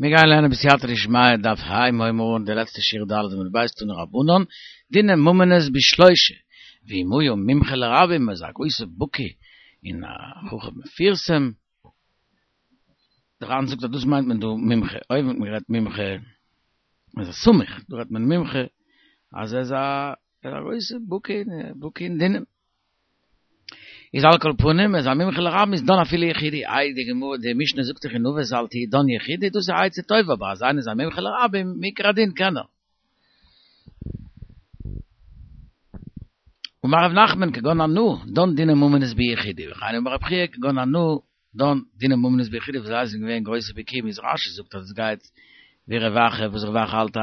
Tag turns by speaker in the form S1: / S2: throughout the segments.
S1: מיר גייען לערנען בסייעתא דשמיא דף ה' הייבן מיר אן די לעצטע שורה ד' עמוד ב' תנו רבנן, דיני ממונות בשלושה, ואם היה מומחה לרבים איז א גרויסע בקי און א חכם מפורסם, דער ר"ן זאגט אז דאס מיינט מען דא מומחה, אויבן האט מען גערעדט מומחה אז א סמוך, דא רעדט מען מומחה אז ער איז א גרויסע בקי בקי אין דינים. איז על כל פנים איז א מומחה לרבים איז דן אפילו יחידי, איי די גמרא די משנה זאגט דאך אין אבות אל תהי דן יחידי דאס איז א עצה טובה אבער אז איינער איז א מומחה לרבים מעיקר הדין קען ער. אמר רב נחמן כגון אנא דן דיני ממונות ביחידי וכן אמר רב חייא כגון אנא דן דיני ממונות ביחידי וואס זיי זענען געווען גרויסע בקיאים איז רש"י זאגט אז עס גייט ווי רב אחא וואס רב אחא האלט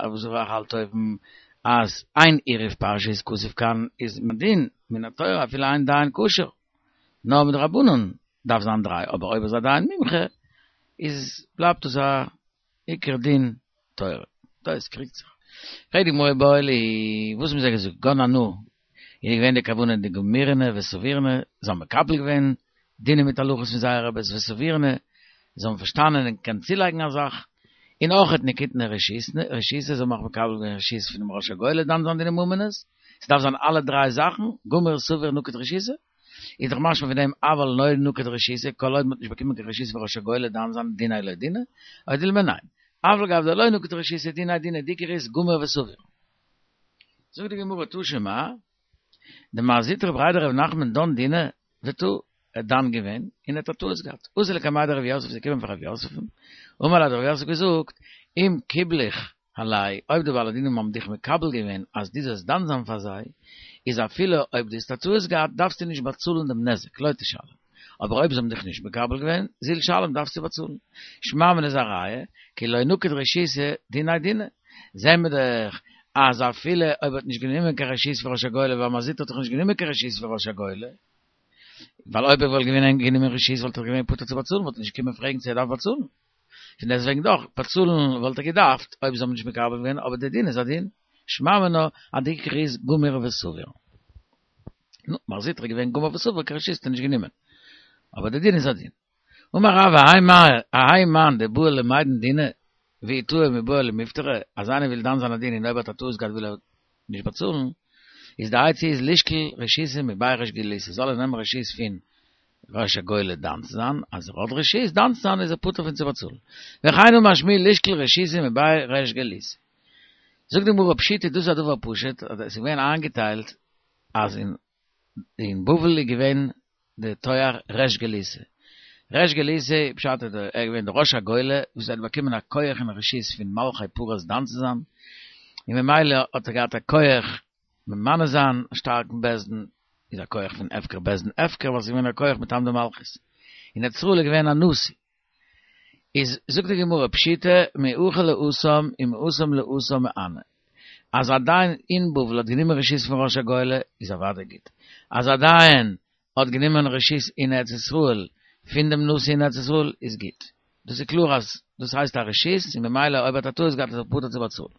S1: וואס רב אחא האלט אויבן אז אין עירוב פרשיות כתוב כאן איז מדין מן התורה אפילו איין דיין כשר נאר מדרבנן דארף זיין דריי אבער אויב איז א דיין מומחה איז בלייבט עס א עיקר דין תורה. דאס קריגט זיך. פרעגט די גמרא איבעיא להו, וואס האבן זיי געזאגט? כגון אנא, איז געווען די כוונה דגמירנא וסבירנא, זיי האבן מקבל געווען דינים מיט הלכות פון זייערע רביס וסבירנא, זיי האבן פארשטאנען און געקענט צולייגן א זאך, און אויכעט נקיטנא רשותא, זיי האבן אויך מקבל געווען רשות פונעם ראש הגולה דן זיין דיני ממונות, ס'דארף זיין אלע דריי זאכן, גמיר סביר נקיט רשותא. איז דאך משמע פון דעם אבל לא נקט רשותא, כל עוד מ'האט נישט באקומען קיין רשות פון ראש הגולה דן זיין דיניה לא דינא, או דילמא ניין. אף על גב דלא נקט רשותא דיניה דינא דעיקר איז גמיר וסביר. זאגט די גמרא תא שמע, דמר זוטרא בריה דרב נחמן דן דינא וטעי, ער האט דן געווען און ער האט א טעות געהאט, אתא לקמיה דרב יוסף איז געקומען פאר רב יוסף'ן, אמר ליה האט רב יוסף געזאגט, אם קיבלוך עלייהו, אויב די בעלי דינים האבן דיך מקבל געווען אז דו זאלסט דן זיין פאר זיי, איז אפילו אויב דו האסט א טעות געהאט דארפסטו נישט באצאלן דעם נזק, לא תשלם. אבער אויב זיי האבן דיך נישט מקבל געווען, זיל שלם דארפסטו באצאלן. שמע מינה איז א ראיה, כי לא נקט רשותא דיניה דינא. זעהן מיר דאך אז אפילו אויב ער האט נישט גענומען קיין רשות פון ראש הגולה, ווייל מר זוטרא האט דאך נישט גענומען קיין רשות פון ראש הגולה, ווייל אויב ער וואלט געווען גענומען רשות וואלט ער געווען פטור צו באצאלן, וואלט ער נישט געקומען פרעגן צו ער דארף באצאלן. פון דעסטוועגן דאך, באצאלן וואלט ער געדארפט אויב זיי האבן נישט מקבל געווען, אבער דער דין איז א דין, שמע מינה אז די עיקר איז גמיר וסביר. נו, מר זוטרא איז געווען גמיר וסביר, קיין רשות האט ער נישט גענומען. אבער דער דין איז א דין. אמר רב האי מאן דבעי למידן דינא, ואי טעי מיבעי למיפטריה, אז איינער וויל דן זיין א דין און אויב ער האט א טעות געהאט וויל ער נישט באצאלן, איז די עצה איז לישקול רשותא מבי ריש גלותא, זאל ער נעמען רשות פון ראש הגולה דן צו זיין, אז ער האט רשות דן צו זיין איז ער פטור פון צו באצאלן. וכן אמר שמואל לישקול רשותא מבי ריש גלותא. זאגט די גמרא פשיטא דאס איז א דבר פשוט, אז עס איז געווען איינגעטיילט אז אין אין בבל איז געווען די תואר ריש גלותא. ריש גלותא, פשט איז ער איז געווען די ראש הגולה וואס האט באקומען א כח און רשות פון מלכי פרס דן צו זיין, און ממילא האט ער געהאט א כח ממנה זיין א שטארקן בית דין, איז א כח פון הפקר בית דין הפקר ווייל ס'איז געווען א כח מטעם די מלכות. אין ארץ ישראל איז געווען א נשיא. איז זאגט די גמרא פשיטא מהכא להתם ומהתם להתם מהני. אז א דיין אין בבל האט גענומען רשות פון ראש הגולה איז אוודאי גוט. אז א דיין האט גענומען רשות אין ארץ ישראל פון דעם נשיא אין ארץ ישראל איז גוט. דאס איז קלאר אז דאס הייסט א רשות און ממילא אויב האט א טעות געהאט איז ער פטור צו באצאלן.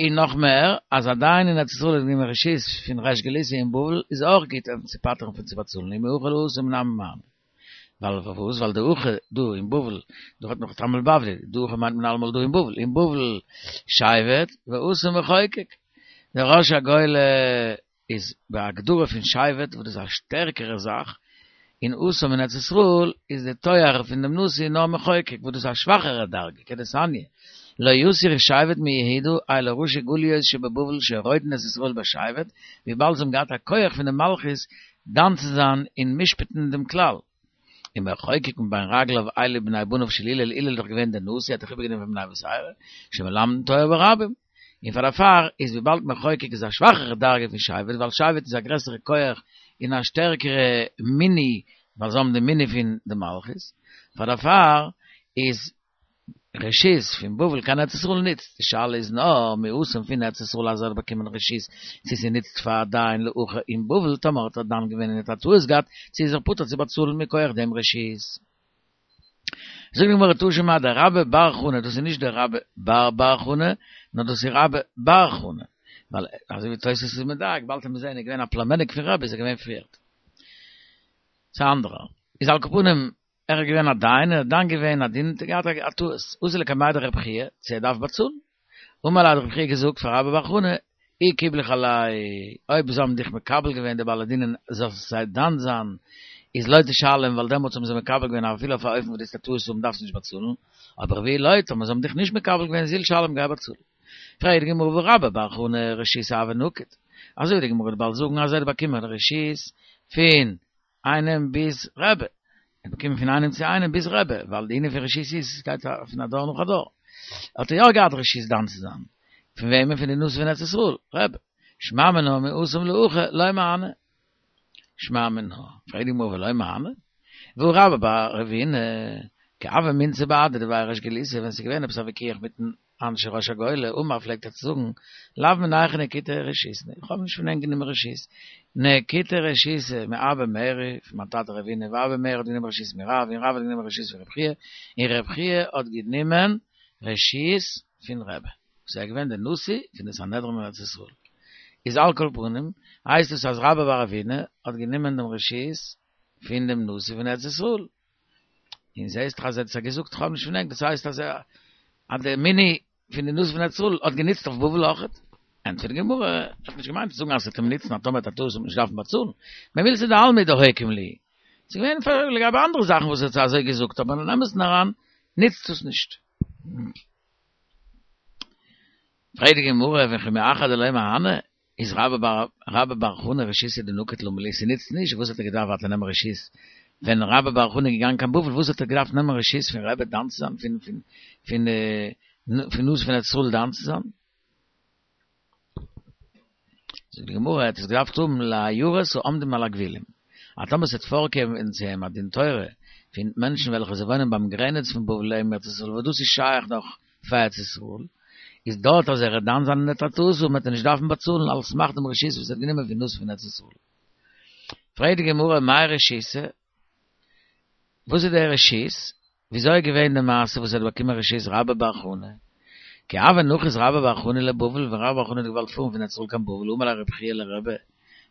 S1: און נאך מער, אז א דיין אין ארץ ישראל האט גענומען רשות פון ריש גלותא אין בבל איז אויך גוט אים צו פטר'ן פון צו באצאלן ומהכא להתם נמי מהני. ווייל פארוואס? ווייל דהכא דא אין בבל, דא רעדט מען דאך תלמוד בבלי, דהכא מיינט מען אלעמאל דא אין בבל, אין בבל שבט והתם מחוקק. דער ראש הגולה איז בהגדרה פון שבט וואס דאס איז א שטערקערע זאך, און התם אין ארץ ישראל איז די תואר פון דעם נשיא נאר מחוקק וואס דאס איז א שוואכערע דרגה, כדתניא, לא יסור שבט מיהודה אלו ראשי גליות שבבבל שרודין את ישראל בשבט, וויבאלד זיי האבן געהאט א כח פון די מלכות דן צו זיין און משפט'ן דעם כלל. ומחוקק מבין רגליו אלו בני בניו של הלל, הלל איז דאך געווען דער נשיא, האט דאך איבערגענומען פון בני בתירא, שמלמדין תורה ברבים. און פאר דערפאר איז וויבאלד מחוקק איז א שוואכערע דרגה פון שבט, ווייל שבט איז א גרעסערע כח און א שטערקערע מינוי, ווייל זיי האבן די מינוי פון די מלכות, פאר דערפאר איז רשות פון בבל קיין ארץ ישראל ניצט, די שאלה איז נאר מהתם פון ארץ ישראל אז ער האט באקומען רשות צו ס'ניצט פאר א דיין להכא אין בבל, טאמער האט ער דן געווען און האט א טעות געהאט, צו איז ער פטור צו באצאלן מכח דעם רשות. זאגט די גמרא תא שמע דרבה בר חנה, דאס איז נישט דער רבה בר בר חנה, נאר דאס איז רבה בר חנה, ווייל אזוי ווי תוס' איז מדייק, באלד וועט מען זען ער איז געווען א פלומעניק פון רבי איז ער געווען פריערט. ס'איז א אנדערער. איז על כל פנים. ער איז געווען א דיין, ער האט דן געווען א דין, האט ער געהאט א טעות, אתא לקמיה דרב חייא, צו ער דארף באצאלן. אמר ליה האט רב חייא געזאגט פאר רבה בר חנה, אי קיבלוך עלייהו, אויב זיי האבן דיך מקבל געווען די בעלי דינים זאלסט זיי דן זיין, איז לא תשלם ווייל דעמאלטס האבן זיי מקבל געווען אפילו אויף א אופן וואס דו וועסט א טעות האבן דארפסטו נישט באצאלן, אבער ואי לא, טאמער זיי האבן דיך נישט מקבל געווען זיל שלם גיי באצאל. פרעגט די גמרא והא רבה בר חנה רשותא הוה נקיט, אזוי ווי די גמרא וועט באלד זאגן אז ער האט באקומען רשות פון איינעם ביז רבי, ער האט באקומען פון איינעם צו איינעם ביז רבי, ווייל די ענין פון רשות איז עס גייט פון א דור נאך א דור, האט ער יא געהאט רשות דן צו זיין, פון וועמען? פון די נשיא פון ארץ ישראל, רבי, שמע מינה מהתם להכא לא מהני, שמע מינה, פרעגט די גמרא ולא מהני? והא רבה בר רב הונא, כי הוה מינצי בהדיה דבי ריש גלותא, ווען ס'איז געווען עפעס א וויכוח מיטן אנשי ראש הגולה, אמר פלעגט ער צו זאגן, לאו מינייכו נקיטא רשותא, איך האב נישט פון ענק גענומען רשות, נקיטא רשותא מאבא מרי, פון מיין טאטע רב הונא, ואבא מרי האט גענומען רשות מרב, און רב האט גענומען רשות פון רב חייא, און רב חייא האט גענומען רשות פון רבי, וואס ער איז געווען דער נשיא פון די סנהדרין אין ארץ ישראל. איז על כל פנים, הייסט עס אז רבה בר רב הונא האט גענומען דעם רשות פון דעם נשיא פון ארץ ישראל. און זעהסט דאך אז ער האט עס געזאגט איך האב נישט פון ענק, דאס הייסט אז אז די מינוי פון די נשיא פון ארץ ישראל האט גענוצט אויף בבל אויכעט. ענטפערט די גמרא, ער האט נישט געמיינט צו זאגן אז עס וועט אים נוצן אז טאמער האט א טעות וועט מען נישט דארפן באצאלן, במילתא דעלמא דהוקים להו. ס'איז געווען פאר לגבי אנדערע זאכן וואס ער האט אזוי געזאגט, אבער אין אמת'ן אריין נוצט עס נישט. פרעגט די גמרא, וכי מאחר דלא מהני, איז רבה בר רבה בר חנה רשותא דנקיט למה לי, ס'נוצט נישט, וואס האט ער געדארפט ווייטער נעמען רשות ווען רבה בר חנה איז געגאנגען קיין בבל, וואס האט ער געדארפט נעמען רשות פון רבי דן צו זיין, פון פון פון פון נשיא פון ארץ ישראל דן צו זיין? זאגט די גמרא, ער האט עס געדארפט האבן לעיירות העומדים על הגבולים, אז טאמער ס'וועט פארקומען צו אים א דין תורה פון מענטשן וועלכע זיי וואוינען ביים גרעניץ פון בבל און ארץ ישראל וואס דאס איז שייך נאך פאר ארץ ישראל, איז דארט אז ער וועט דן זיין און ער וועט א טעות האבן וועט ער נישט דארפן באצאלן על סמך דעם רשות וואס ער האט גענומען פון נשיא פון ארץ ישראל. פרעגט די גמרא מאי רשותא? וואס איז דער רשות? וויאזוי איז געווען די מעשה וואס ער האט באקומען רשות רבה בר חנה? כי הוה נחית רבה בר חנה לבבל, ווען רבה בר חנה האט געוואלט פארן פון ארץ ישראל קיין בבל, אמר ליה רב חייא לרבי,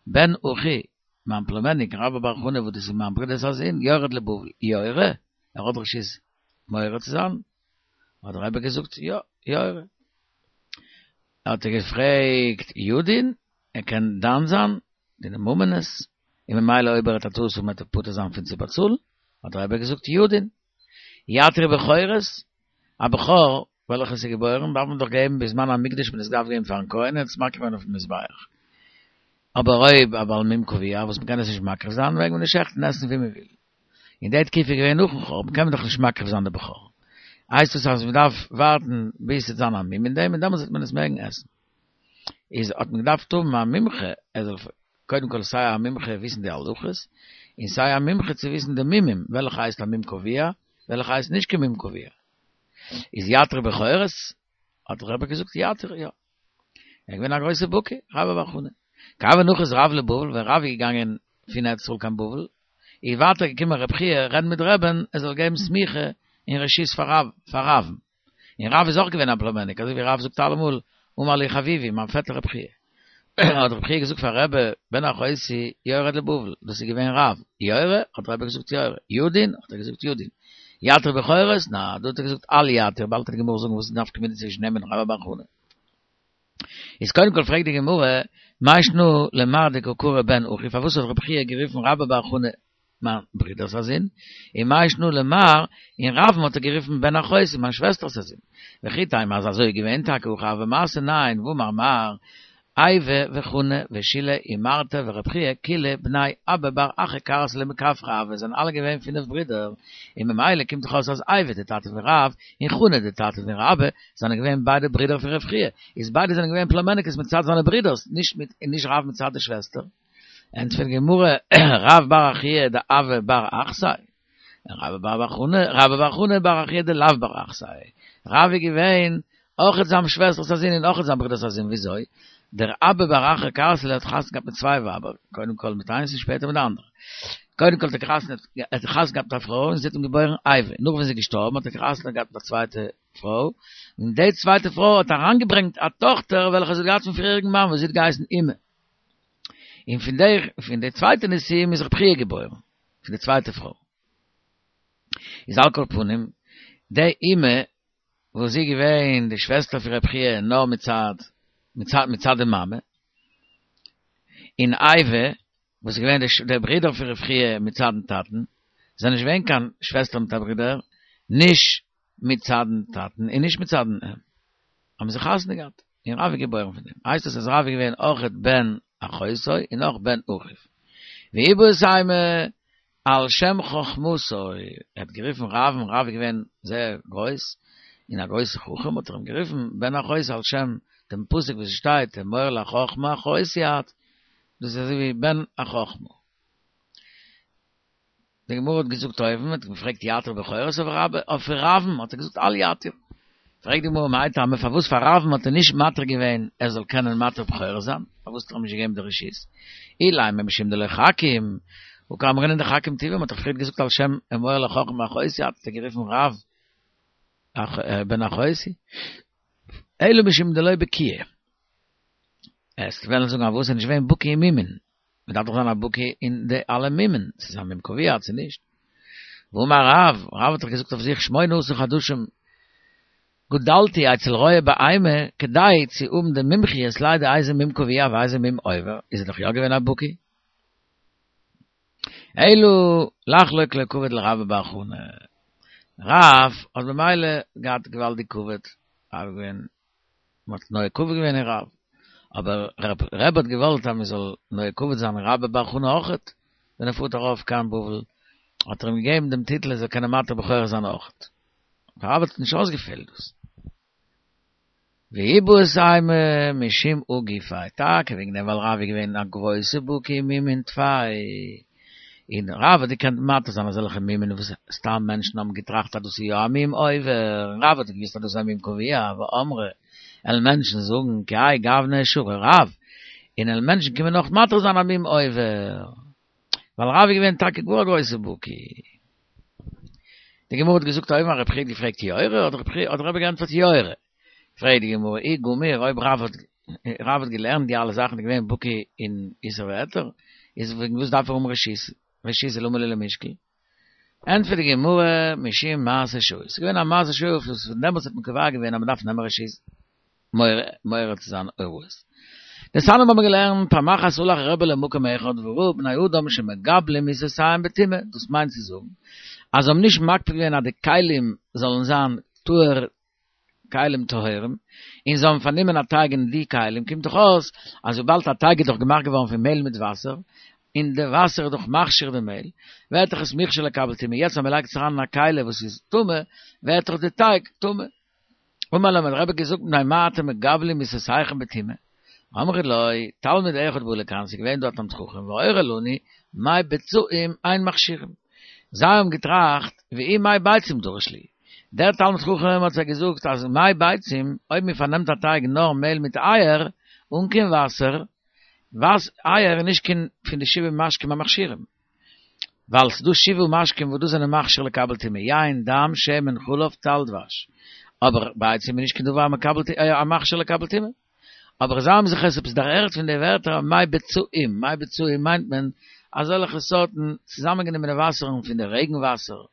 S1: בן אחי, מיין פלומעניק רבה בר חנה וואס דאס איז מיין ברודער'ס א זון, יורד לבבל, יורה? ער האט רשות מורה צו זיין? האט דער רבי געזאגט יא, יורה. האט ער געפרעגט ידין, ער קען דן זיין דיני ממונות, און ממילא אויב ער האט א טעות וועט ער פטור זיין פון צו באצאלן, האט דער רבי געזאגט ידין. יתיר בכורות, א בכור וועלכע איז געבוירן דארף מען דאך געבן בזמן המקדש מען עס דארף געבן פארן כהן ער האט עס מקריב געווען אויפן מזבח. אבער אויב א בעל מום קבוע וואס מען קען עס נישט מקריב זיין מעג מען עס שעכטן און עסן ווי מען וויל. אין די תקופה איז געווען נאכן חורבן קען מען דאך נישט מקריב זיין די בכור. הייסט עס אז מען דארף ווארטן ביז ס'וועט זיין א מום אין דעם און דעמאלטס וועט מען עס מעגן עסן. איז האט מען געדארפט האבן א מומחה ער זאל קודם כל סיי א מומחה וויסן די הלכות, און סיי א מומחה צו וויסן די מומים, וועלכע הייסט א מום קבוע, וועלכע הייסט נישט קיין מום קבוע. איז יתיר בכורות? האט דער רבי געזאגט יתיר יא. ער איז געווען א גרויסע בקי, רבה בר חנה. כי הוה נחית רב לבבל, ווען רב איז געגאנגען פון ארץ ישראל קיין בבל, איז ווייטער געקומען רב חייא רעדן מיט רבי'ן ער זאל געבן סמיכה און רשות פאר רב, פאר רב'ן. און רב איז אויך געווען א פלומעניק, אזוי ווי רב זאגט אלעמאל, אמר לי חביבי, מיין פעטער רב חייא. האט רב חייא געזאגט פאר רבי, בן אחותי יורד לבבל, דאס איז געווען רב, יורה? האט רבי געזאגט יורה, ידין? האט ער געזאגט ידין. יתיר בכורות? נא, דא האט ער געזאגט אל יתיר, באלד וועט די גמרא זאגן וואס איז די נפקא מינה צווישן אים און רבה בר חנה. איז קודם כל פרעגט די גמרא, מאי שנא למר דקא קרי בן אחי, פארוואס האט רב חייא גערופן רבה בר חנה מיין ברודער'ס א זון, און מאי שנא למר, און רב'ן האט ער גערופן בן אחותי, מיין שוועסטער'ס א זון. וכי תימא אז אזוי איז געווען טאקע הכי הוה מעשה ניין, והאמר מר, איבו וחנא ושילא ומרתא ורב חייא כולהו בני אבא בר אחא כרסלא מכפרא הוו זענען אלע געווען פינף ברידער, און ממילא קומט דאך אויס אז איבו די טאטע פון רב און חנא די טאטע פון רבה זענען געווען ביידע ברידער פון רב חייא, איז ביידע זענען געווען פלומעניקעס מצד זיינע ברידערס, נישט מיט נישט רב מצד די שוועסטער. ענטפערט די גמרא, רב בר אחוה דהוה בר אחתיה, רבה בר חנה, רבה בר חנה בר אחוה דלאו בר אחתיה, רב איז געווען אויכעט זיין שוועסטער'ס א זון און אויכעט זיין ברודער'ס א זון, וויאזוי? דער אבא בר אחא כרסלא האט חתונה געהאט מיט צוויי ווייבער, קודם כל מיט איינס און שפעטער מיט די אנדערע. קודם כל האט ער חתונה געהאט מיט א פרוי און זי האט אים געבוירן איבו, נאך ווען זי איז געשטארבן האט ער חתונה געהאט מיט א צווייטע פרוי, און די צווייטע פרוי האט אריינגעברענגט א טאכטער וועלכע זי האט געהאט פון פריעריגן מאן וואס זי האט געהייסן אימא. און פון די פון די צווייטע נישואים איז רב חייא געבוירן, פון די צווייטע פרוי. איז על כל פנים, די אימא וואס זי געווען די שוועסטער פון רב חייא נאר מצד מצד מצד די מאמע, און אייבו וואס איז געווען דער ברודער פון רב חייא מצד'ן טאטן, זענען נישט געווען קיין שוועסטער מיט א ברודער, נישט מצד'ן טאטן און נישט מצד'ן אם, האבן זיי חתונה געהאט, און רב איז געבוירן פון דעם, הייסט עס אז רב איז געווען אויכעט בן אחותו און אויך בן אחיו. ואיבעית אימא על שם חכמתו, ער האט גערופן רב'ן, רב איז געווען זייער גרויס, און א גרויסע חכם, האט ער אים גערופן בן אחותי על שם דעם פסוק וואס עס שטייט אמור לחכמה אחותי את, דאס איז אזוי ווי בן החכמה. די גמרא האט געזאגט אויבן, האט געפרעגט יתיר בכורות אויף רב, אויף רב'ן האט ער געזאגט אל יתיר. פרעגט די גמרא מאי טעמא פארוואס פאר רב'ן האט ער נישט מתיר געווען ער זאל קענען מתיר בכורות זיין, פארוואס האט ער אים נישט געגעבן די רשות? אילימא משום דלא חכים, הא קאמרינן דחכים טובא, מ'האט דאך פריערט געזאגט על שם אמור לחכמה אחותי את, האט ער גערופן רב בן אחותי, אלא משום דלא בקיאי. וועסט וועלן זאגן אז וואס ער איז נישט געווען בקי אין מומין, מען דארף דאך זיין א בקי אין די אלע מומין, צו ס'איז א מום קבוע צו נישט. והאמר רב, רב האט דאך געזאגט אויף זיך שמונה עשר חדשים גדלתי אצל רועה בהמה כדי צו האבן די מומחיות לידע איזה מום קבוע ואיזה מום עובר, איז ער דאך יא געווען א בקי. אלא לחלוק לו כבוד לרבה בר חנה. רב האט במילא געהאט געוואלדיג כבוד, רב איז געווען מען האט נוהג כבוד געווען אין רב, אבער רבי האט געוואלט אז מען זאל נוהג כבוד זיין אין רבה בר חנה אויכעט, ווען ער פארט ארויף קיין בבל, האט ער אים געגעבן דעם טיטל ער זאל קענען מתיר בכורות זיין אויכעט. פאר רב האט נישט אויסגעפעלט דאס. ואיבעית אימא משום הא גופיה, טאקע וועגן דעם ווייל רב איז געווען א גרויסע בקי אין מומין טפי, און רב האט געקענט מתיר זיין אזעלכע מומין וואס סתם מענטשן האבן געטראכט אז דאס איז יא א מום עובר, און רב האט געוואוסט אז דאס איז א מום קבוע, ואמרי, וועלן מענטשן זאגן כי האי גוונא שרי רב, און וועלן מענטשן קומען נאך מתיר זיין א מום עובר, ווייל רב איז געווען טאקע גאר א גרויסע בקי. די גמרא האט געזאגט אויבן אז רב חייא האט געפרעגט יורה, האט רבי געענטפערט יורה. פרעגט די גמרא אי גמיר אויב רב האט רב האט געלערנט די אלע זאכן איז געווען בקי אין איסור והיתר, איז וועגן וואס דארף ער האבן רשות רשות למה לי למישקל? ענטפערט די גמרא משום מעשה שהיה, ס'איז געווען א מעשה שהיה וואס פון דעמאלטס האט מען קובע געווען אז מ'דארף נעמען רשות מורה צו זיין הוראות. דתניא האבן מיר געלערנט פעם אחת הלך רבי למקום אחד וראה בני אדם שמגבלים עיסותיהם בטומאה, דאס מיינט צו זאגן אז זיי האבן נישט מקפיד געווען אז די כלים זאלן זיין טהור כלים טהורים, און זיי האבן פארנומען א טייג אין די כלים, קומט דאך אויס אז וויבאלד א טייג איז דאך געמאכט געווארן פון מעהל מיט וואסער, און די וואסער איז דאך מכשיר די מעהל, ווערט דאך עס מוכשר לקבל טומאה, יעצט אז מען לייגט עס אריין אין א כלי וואס איז טמא, ווערט דאך די טייג טמא. אמר להם האט דער רבי געזאגט מפני מה אתם מגבלים עיסותיכם בטומאה? אמרו לו, תלמיד אחד בא לכאן, ס'איז געווען דא א תלמיד חכם, והורה לנו, מי בצעים אין מכשירים. זיי האבן געטראכט, והוא מי ביצים דרש להו. דער תלמיד חכם האט זיי געזאגט אז מי ביצים, אויב מען פארנעמט א טייג נאר מעהל מיט אייער, אן קיין וואסער, וואס אייער איז נישט קיין פון די שבעה משקים המכשירים, ווייל ס'דא שבעה משקים וואס דאס זענען מכשיר לקבל טומאה, יין, דם, שמן, חלב, טל, דבש. אבער ביצים איז נישט קיין דבר המקבל המכשיר לקבל טומאה. אבער זיי האבן זיך עס עפעס דערהערט פון די ווערטער מי בצעים, מי בצעים מיינט מען אזעלכע סארטן צוזאמענגענומענע וואסערן פון די רעגן וואסער,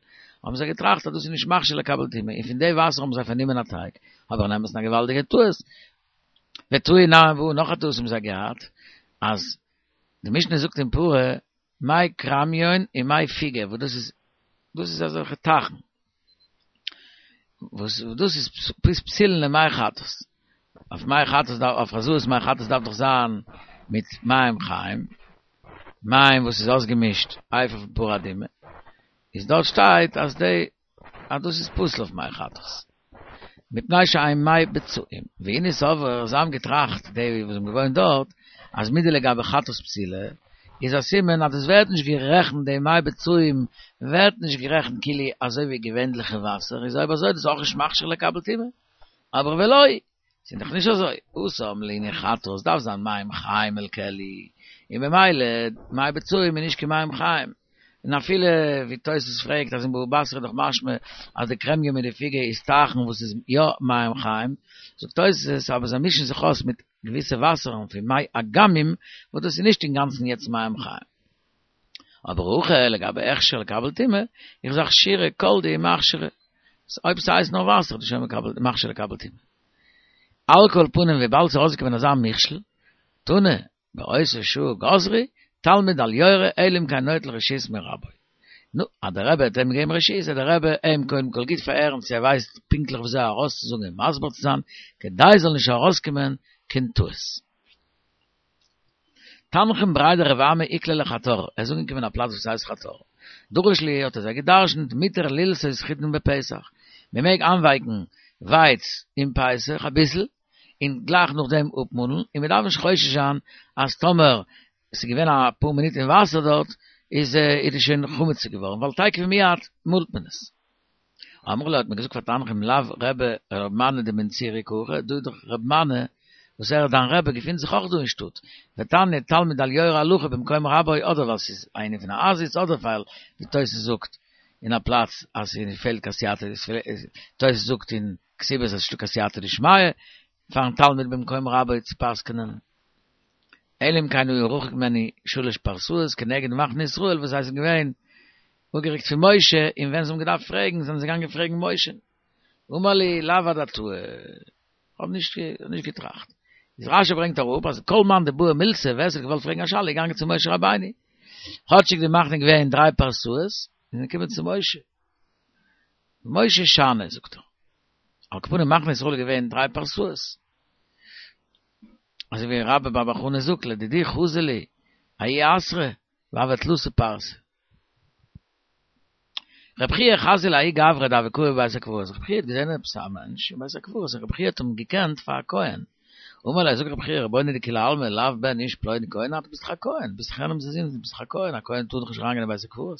S1: האבן זיי געטראכט אז דאס איז נישט מכשיר לקבל טומאה, און פון די וואסער האבן זיי פארנומען א טייג, אבער אין אמת'ן א געוואלדיגע טעות. וטעו נמי בהא, נאך א טעות האבן זיי געהאט, אז די משנה זאגט אין פרה, מי כרמיון און מי פוגה, וואס דאס איז, דאס איז אזעלכע טייכן, וואס דאס איז פסולין למי חטאת, אויף מי חטאת דארף, אויף הזאת מי חטאת דארף דאך זיין מיט מים חיים, מים וואס איז אויסגעמישט אפר פון פרה אדומה, איז דארט שטייט אז די אז דאס איז פסול אויף מי חטאת. מפני שהן מי בצעים. והנהו סברי, זיי האבן געטראכט, די וואס האבן געוואוינט דארט, אז מדלגבי חטאת פסילה, איז א סימן אז דאס ווערט נישט גערעכנט, די מי בצעים ווערט נישט גערעכנט כאילו אזוי ווי געווענליכע וואסער, איז אויב אזוי איז דאס אויך נישט מכשיר לקבל טומאה. אבער ולא, ס'איז דאך נישט אזוי, התם לענין חטאת דארף זיין מים חיים אל כלי, און במילא מי בצעים איז נישט קיין מים חיים, און אפילו ווי תוס' פרעגט אז אין בבא בתרא איז דאך משמע אז די כרמיון מיט די פוגה איז טייכן וואס איז יא מים חיים, זאגט תוס' אבער זיי מישן זיך אויס מיט געוויסע וואסערן פון מי אגמים וואס דאס איז נישט אינגאנצן יעצט מים חיים. אבער הכא לגבי הכשר לקבל טומאה, איז אכשורי כל דהו מכשירי. אויב ס'הייסט נאר וואסער איז שוין מקבל מכשיר לקבל טומאה. על כל פנים וויבאלד ס'איז ארויסגעקומען אזא מכשול, תנא, באותה שעה גזרו, תלמיד אל יורה אלא אם כן נוטל רשות מרבו. נו, אז דער רבי האט אים געגעבן רשות, זאל דער רבי אים קודם כל גוט פארהערן צו ער ווייסט פונקטליך וויאזוי ארויסצוזאגן און מסביר צו זיין, כדי זאל נישט ארויסקומען קיין טעות. תנחום בריה דרב אמי איקלע לחתר, ער איז אנגעקומען אין א פלאץ וואס הייסט חתר. דרש להו האט ער זיי גע'דרש'נט מותר ללתות חיטין בפסח, מען מעג איינווייקן ווייץ אין פסח אביסל, און גלייך נאכדעם אפמאלן, און מען דארף נישט חושש זיין אז טאמער עס איז געווען אפאר מינוט אין וואסער דארט איז איז עס שוין חמץ געווארן, ווייל תיכף ומיד מאלט מען עס. אמרו ליה האט מען געזאגט פאר תנחום לאו רבי ר' מני דמן צור איכא הכא, דא איז דאך ר' מני וואס ער איז דיין רבי געפינט זיך אויך דא אין שטאט, ותניא תלמיד אל יורה הלכה במקום רבו אדער ווייל ס'איז א ענין פון א עזות אדער ווייל ווי תוס' זאגט אין א פלאץ אז ס'פעלט קיין סייעתא תוס' זאגט אין כתובות אז ס'נישטא קיין סייעתא דשמיא פארן תלמיד במקום רבו צו פסק'נען. אלא אם כן היה רחוק ממנו שלש פרסאות כנגד מחנה ישראל וואס זיי זענען געווען אפגערוקט פון משה און ווען זיי האבן געדארפט פרעגן זענען זיי געגאנגען פרעגן משה. אמר להו לאו אדעתאי, כ'האב נישט נישט געטראכט. איז רשי ברענגט אראפ אז כל מאן דבעי מילתא ווער ס'האט געוואלט פרעגן א שאלה איז געגאנגען צו משה רבינו. כאטשיג די מחנה איז געווען דריי פרסאות, זענען געקומען צו משה. משה שאני זאגט ער. על כל פנים מחנה ישראל איז געווען דריי פרסאות. אזוי ווי רבה בר בר חנה זאגט לדידי חזי לי ההוא אתרא והוה תלתא פרסי. רב חייא חזייה לההוא גברא דהוה קאי בבית הקברות, רב חייא האט געזען עפעס א מענטש אין בית הקברות און רב חייא האט אים געקענט פאר א כהן, אמר ליה זאגט רב חייא רבונו דכולי עלמא לאו בן איש פלוני כהן אתה ביסט דאך א כהן, ביסט דאך יענעמס זון, ביסט דאך א כהן, א כהן טאר דאך נישט אריינגיין אין בית הקברות.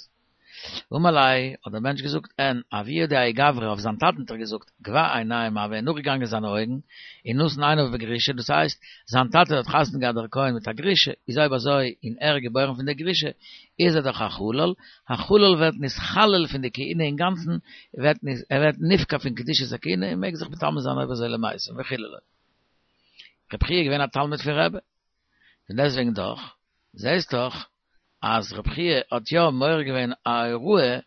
S1: אמר ליה, האט דער מענטש געזאגט, אין, אבוה דהאי גברא, אויף זיין טאטן האט ער געזאגט, גבה עיניים הוה, נאכגעגאנגען זיינע אויגן, און נתן עיניו בגרושה, דאס הייסט, זיין טאטע האט חתונה געהאט דער כהן מיט א גרושה, איז אויב אזוי, און ער איז געבוירן פון דער גרושה, איז ער דאך א חלל, א חלל ווערט נתחלל פון די כהונה אינגאנצן, ווערט ער ווערט נפקע פון קדושת הכהונה און מעג זיך מטמא זיין אויב אזוי למתים וחיללו. רבי חייא איז געווען א תלמיד פון רבי, פון דעסטוועגן דאך, זעסט דאך אז רבי חייא האט יא מעורר געווען א הוראה,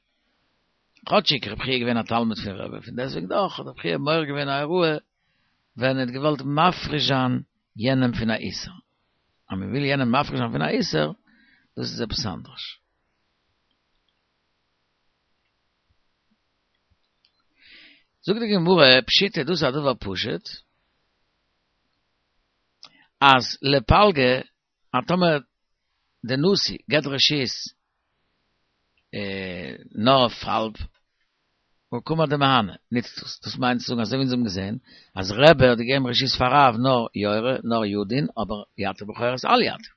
S1: כאטשיג רבי חייא איז געווען א תלמיד פון רבי, פון דעסטוועגן דאך האט רבי חייא מעורר געווען א הוראה ווען ער האט געוואלט מפריש זיין יענעם פון א איסור. אז מען וויל יענעם מפריש זיין פון א איסור, דאס איז עפעס אנדערש. זאגט די גמרא, פשיטא דאס איז א דבר פשוט, אז לפלגא אז טאמער די נשיא געבט רשות נאר אויף האלב, הא קאמר דמהני, נוצט דאס, דאס מיינט צו זאגן אזוי ווי אונז האבן געזען אז רבי האט געגעבן רשות פאר רב נאר יורה נאר ידין אבער יתיר בכורות אל יתיר.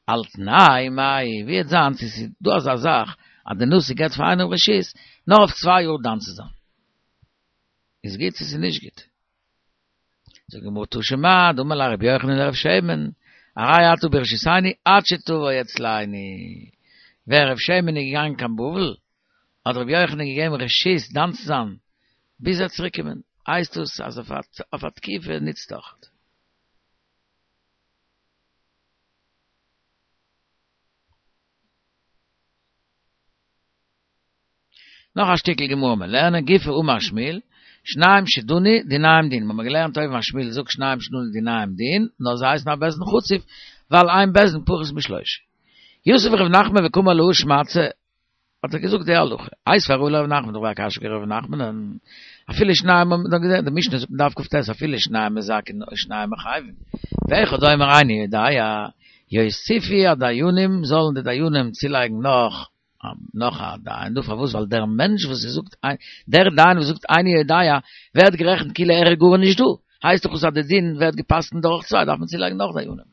S1: על תנאי מאי, ווי וועט זיין צו ס'איז דא אזא זאך אז די נשיא געבט פאר איינעם רשות נאר אויף צוויי יאר דן צו זיין. איז גוט צו ס'איז נישט גוט? זאגט די גמרא תא שמע, דאמר ליה רבי יוחנן לרב שמן, הרי אתה ברשותנו עד שתבוא אצלנו. ווען רב שמן איז געגאנגען קיין בבל, האט רבי יוחנן געגעבן רשות דן צו זיין ביז ער וועט צוריק קומען, הייסט דאס אז אויף א תקופה נוצט אויך. נאך א שטיקל גמרא מיר לערנען, גופא אמר שמואל, שניים שדנו דיניהם דין, מ'האמיר געלערנט אויבן אז שמואל זאגט שניים שדנו דיניהם דין, נאר זיי הייסן א בית דין חצוף, ווייל אין בית דין פחות משלושה. יתיב ר' נחמן וקאמר להא שמעתתא, האט ער געזאגט די הלכה, איתיביה רבא לר' נחמן, דאך א קשיא אויף ר' נחמנ'ן, אפילו שניים האבן דאך געזען, די משנה זאגט אין דף כ"ט אפילו שניים מזכין או שניים מחייבין, ואחד אומר איני יודע, יוסיפו הדיינים, זאלן די דיינים צולייגן נאך נאך א דיין דא, פארוואס? ווייל דער מענטש וואס ער זאגט, דער דיין וואס זאגט איני יודע, ווערט גערעכנט כאילו ער איז גארנישט דא, הייסט דאך אויס אז די דין ווערט גע'פסק'נט דורך צוויי, דארף מען צולייגן נאך דיינים.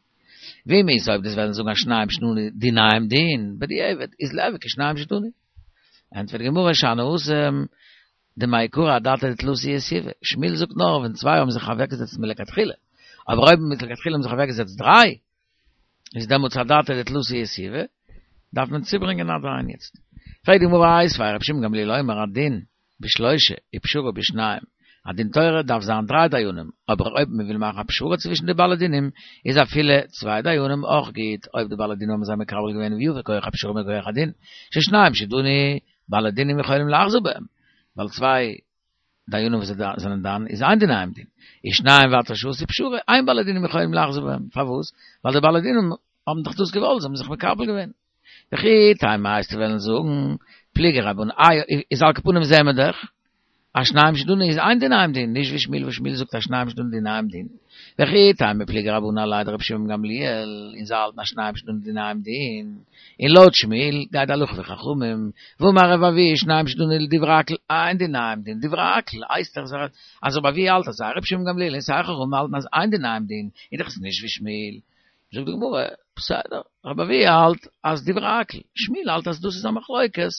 S1: ואם איתא אויב דו'סט וועלן זאגן אז שניים שדנו דיניהם דין, בדיעבד, איז ליהוי כשניים שדנו. ענטפערט די גמרא שאני התם דמעיקרא אדעתא דתלתא יתיבי, שמואל זאגט נאר ווען צוויי האבן זיך אוועקגעזעצט מלכתחילה, אבער אויב מלכתחילה האבן זיך אוועקגעזעצט דריי, איז דעמאלטס אדעתא דתלתא יתיבי, דארף מען צוברענגען א דיין יעצט. פרעגט די גמרא איתיביה רבן שמעון גמליאל אומר הדין בשלושה ופשרה בשניים. א דין תורה דארף זיין דריי דיינים, אבער אויב מען וויל מאכן א פשרה צווישן די בעלי דינים, איז אפילו צוויי דיינים אויך גוט, אויב די בעלי דינים האבן זיי מקבל געווען ויפה כח הפשרה מכח הדין, ששניים שדנו בעלי דינים יכולים לחזור בהם, ווייל צוויי דיינים וואס זענען דן איז אין דין דין, איז שניים ואתה שעשו פשרה, אין בעלי דינים יכולים לחזור בהם, פארוואס? ווייל די בעלי דינים האבן דאך דאס געוואלט, זיי האבן זיך מקבל געווען. וכי תימא וועסטו וועלן זאגן, פליגי רבנן, איי, איז על כל פנים זעהן מיר דאך, אז שניים שדנו איז אין דיניהם דין, נישט ווי שמואל וואס שמואל זאגט אז שניים שדנו דיניהם דין. וכי תימא פליגי רבנן עליה דרבי שמעון בן גמליאל, און זיי האלטן אז שניים שדנו דיניהם דין, און לויט שמואל גייט די הלכה ווי חכמים, והאמר רבי אבהו שניים שדנו לדברי הכל אין דיניהם דין, דברי הכל הייסט דאך אז רבי אבהו האלט אז סיי רבי שמעון בן גמליאל און סיי חכמים האלטן אז אין דיניהם דין, איז דאך עס נישט ווי שמואל. זאגט די גמרא, בסדר, רבי אבהו האלט אז דברי הכל, שמואל האלט אז דאס איז א מחלוקת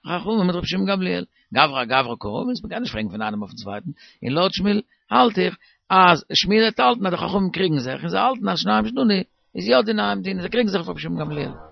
S1: חכמים מיט רבי שמעון גמליאל, גברא אגברא קא רמית, מ'קען נישט פרעגן פון איינעם אויפן צווייטן, און לויט שמואל האלט איך אז שמואל וועט האלטן אז די חכמים קריגן זיך און זיי האלטן אז שניים שדנו איז יא דיניהם דין, זיי קריגן זיך אויף רבי שמעון גמליאל.